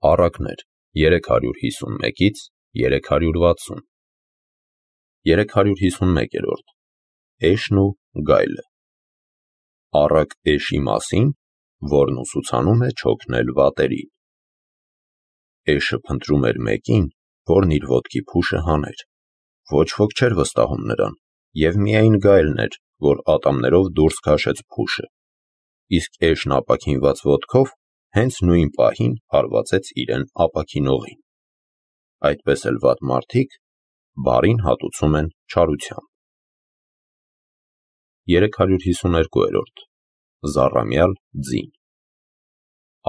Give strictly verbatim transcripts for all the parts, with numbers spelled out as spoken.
Առակներ երեք հարյուր հիսունմեկից երեք հարյուր վաթսուն երեք հարյուր հիսունմեկերորդ Էշն ու գայլը Առակ էշի մասին, որն ուսուցանում է չօգնել վատերին։ Էշը փնտրում էր մեկին, որն իր ոտքի փուշը հաներ։ Ոչ ոք չէր վստահում նրան, և միայն գայլն էր, որ ատամներով դուրս քաշեց փուշը, իսկ էշն ապաքինված ոտքով հենց նույն պահին հարվածեց իրեն ապաքինողին։ Այդպես էլ վատ մարդիկ բարին հատուցում են չարությամբ։ երեք հարյուր հիսուներկուերորդ Զառամյալ ձին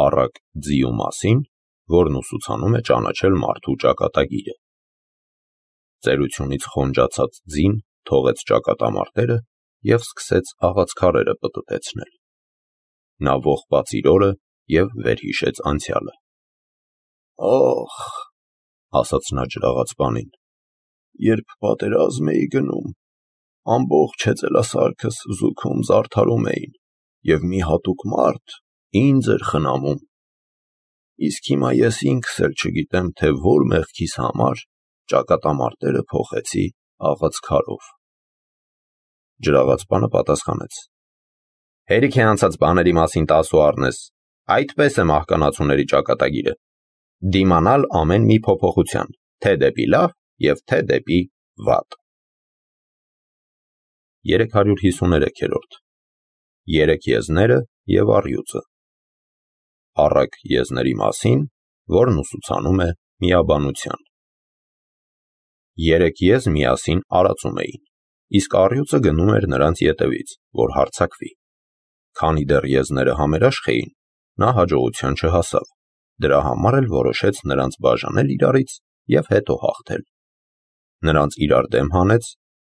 Առակ ձիու մասին, որն ուսուցանում է ճանաչել մարդու ճակատագիրը։ Ծերությունից խոնջացած ձին թողեց ճակատամարտերը և սկսեց աղացքարերը պտտեցնել։ Նա ողբաց իր օրը և վերհիշեց անցյալը։ «Ախ,- ասաց նա ջրաղացպանին,- երբ պատերազմ էի գնում, ամբողջ հեծելասարքս զուգում զարդարում էին, և մի հատուկ մարդ ինձ էր խնամում։ Իսկ հիմա ես ինքս էլ չգիտեմ, թե որ մեղքիս համար ճակատամարտերը փոխեցի աղացքարով»։ Ջրաղացպանը պատասխանեց. «Հերիք է անցած բաների մասին տասու առնես, այդպես է մահկանացուների ճակատագիրը, դիմանալ ամեն մի փոփոխության, թե դեպի լավ և թե դեպի վատ»։ երեք հարյուր հիսուներեքերորդ Երեք եզները և առյուծը Առակ եզների մասին, որն ուսուցանում է միաբանության։ Երեք եզ միասին արածում էին, իսկ առյուծը գնում էր նրանց ետևից, որ հարձակվի։ Քանի դեռ եզները համերաշխ էին, նա հաջողության չհասավ, դրա համար էլ որոշեց նրանց բաժանել իրարից և հետո հաղթել։ Նրանց իրար դեմ հանեց,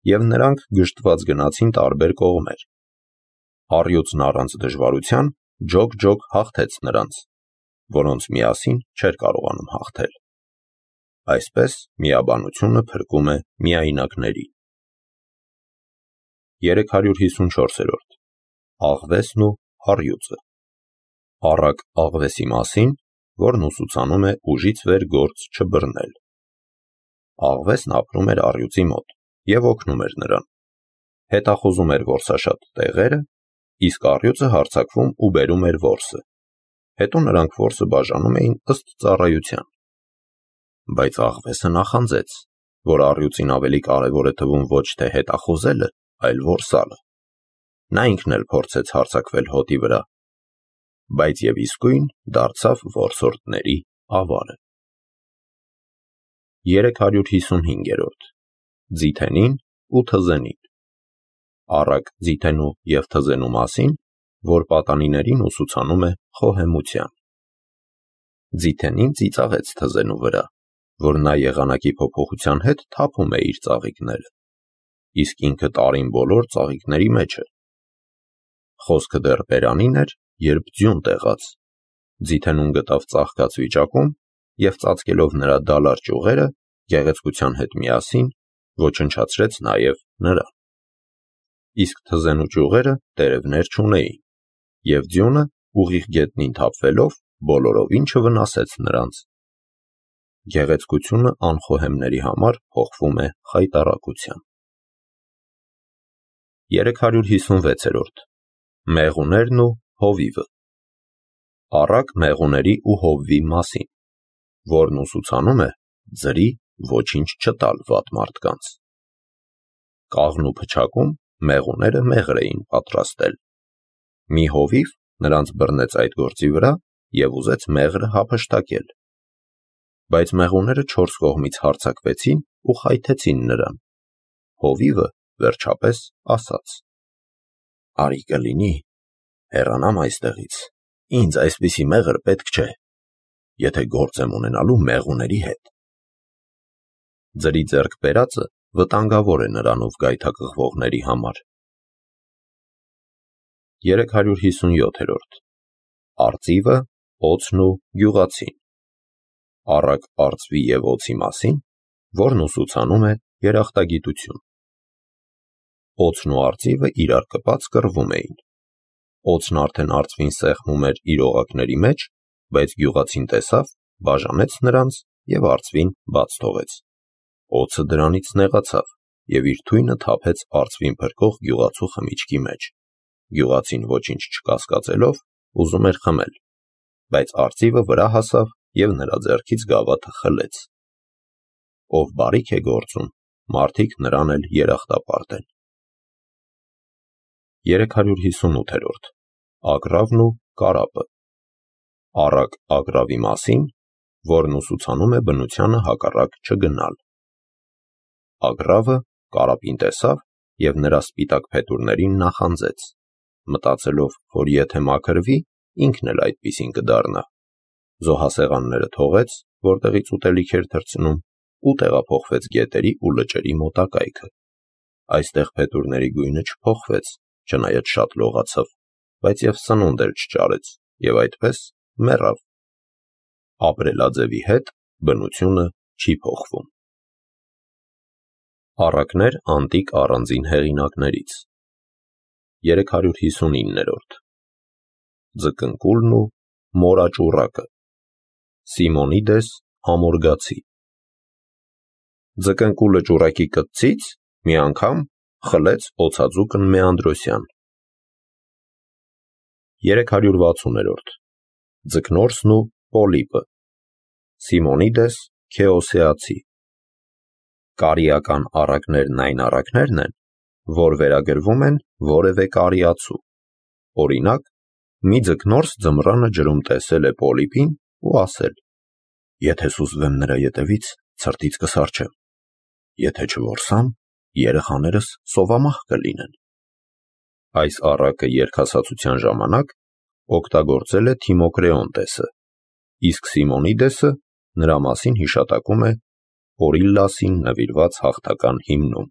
և նրանք գժտված գնացին տարբեր կողմեր։ Առյուծն առանց դժվարության ջոկ-ջոկ հաղթեց նրանց, որոնց միասին չէր կարողանում հաղթել։ Այսպես միաբանությունը փրկում է միայնակներին։ երեք հարյուր հիսունչորսերորդ Աղվեսն ու առյուծը Առակ աղվեսի մասին, որն ուսուցանում է ուժից վեր գործ չբռնել։ Աղվեսն ապրում էր առյուծի մոտ և օգնում էր նրան։ Հետախուզում էր որսաշատ տեղերը, իսկ առյուծը հարձակվում ու բերում էր որսը։ Հետո նրանք որսը բաժանում էին ըստ ծառայության։ Բայց աղվեսը նախանձեց, որ առյուծին ավելի կարևոր է թվում ոչ թե հետախուզելը, այլ որսալը։ Նա ինքն էլ փորձեց հարձակվել հոտի վրա, բայց և իսկույն դարձավ որսորդների ավարը։ երեք հարյուր հիսունհինգերորդ Ձիթենին ու թզենին Առակ ձիթենու և թզենու մասին, որ պատանիներին ուսուցանում է խոհեմության։ Ձիթենին ծիծաղեց թզենու վրա, որ նա եղանակի փոփոխության հետ թափում է իր ծաղիկները, իսկ ինքը տարին բոլոր ծաղիկների մեջ է։ Խոսքը դեռ բերանին էր, երբ ձյուն տեղաց։ Ձիթենուն գտավ ծաղկած վիճակում և ծածկելով նրա դալար ճյուղերը, գեղեցկության հետ միասին ոչնչացրեց նաև նրան։ Իսկ թզենու ճյուղերը տերևներ չունեին, և ձյունը ուղիղ գետնին թափվելով բոլորովին չվնասեց նրանց։ Գեղեցկությունը անխոհեմների համար փոխվում է խայտառակության։ երեք հարյուր հիսունվեցերորդ Մեղուներն ու հովիվը Առակ մեղուների ու հովվի մասին, որն ուսուցանում է ձրի ոչինչ չտալ վատ մարդկանց։ Կաղնու փչակում մեղուները մեղր էին պատրաստել։ Մի հովիվ նրանց բռնեց այդ գործի վրա և ուզեց մեղրը հափշտակել։ Բայց մեղուները չորս կողմից հարձակվեցին ու խայթեցին նրան։ Հովիվը վերջապես ասաց. «Արի կլինի, հեռանամ այստեղից, ինձ այսպիսի մեղր պետք չէ, եթե գործ եմ ունենալու մեղուների հետ»։ Ձրի ձեռք բերածը վտանգավոր է նրանով գայթակղվողների համար։ երեք հարյուր հիսունյոթերորդ Արծիվը, օձն ու գյուղացին Առակ արծվի և օձի մասին, որն ուսուցանում է երախտագիտություն։ Օձն ու արծիվը իրար կպած կռվում էին։ Օձն արդեն արծվին սեղմում էր իր օղակների մեջ, բայց գյուղացին տեսավ, բաժանեց նրանց և արծվին բաց թողեց։ Օձը դրանից նեղացավ և իր թույնը թափեց արծվին փրկող գյուղացու խմիչքի մեջ։ Գյուղացին ոչինչ չկասկածելով ուզում էր խմել, բայց արծիվը վրա հասավ և նրա ձեռքից գավաթը խլեց։ Ով բարիք է գործում, մարդիկ նրան էլ երախտապարտ են։ երեք հարյուր հիսունութ. Ագռավն ու կարապը։ Առակ ագռավի մասին, որն ուսուցանում է բնությանը հակառակ չգնալ։ Ագռավը կարապին տեսավ և նրա սպիտակ փետուրներին նախանձեց, մտածելով, որ եթե մաքրվի, ինքն էլ այդպիսին կդառնա։ Զոհասեղանները թողեց, որտեղից ուտելիք էր թռցնում, ու տեղափոխվեց գետերի ու լճերի մոտակայքը։ Այստեղ փետուրների գույնը չփոխվեց, չնայած շատ լողացավ, բայց և սնունդ էլ չճարեց և այդպես մեռավ։ Ապրելաձևի հետ բնությունը չի փոխվում։ Առակներ անտիկ առանձին հեղինակներից։ երեք հարյուր հիսունինը. Ձկնկուլն ու մորաճուռակը։ Սիմոնիդես Ամորգացի։ Ձկնկուլը ճուռակի կտցից մի անգամ խլեց օձաձուկն Մեանդրոսյան։ երեք հարյուր վաթսուն. Ձկնորսն ու պոլիպը։ Սիմոնիդես Քեոսեացի։ Կարիական առակներն այն առակներն են, որ վերագրվում են որևէ կարիացու։ Օրինակ, մի ձկնորս ձմռանը ջրում տեսել է պոլիպին ու ասել. «Եթե սուզվեմ նրա ետևից, ցրտից կսառչեմ, եթե չորսամ, երեխաներս սովամահ կլինեն»։ Այս առակը երկհասացության ժամանակ օգտագործել է Թիմոկրեոնտեսը, իսկ Սիմոնիդեսը նրա մասին հիշատակում է Օրիլլասին նվիրված հաղթական հիմնում։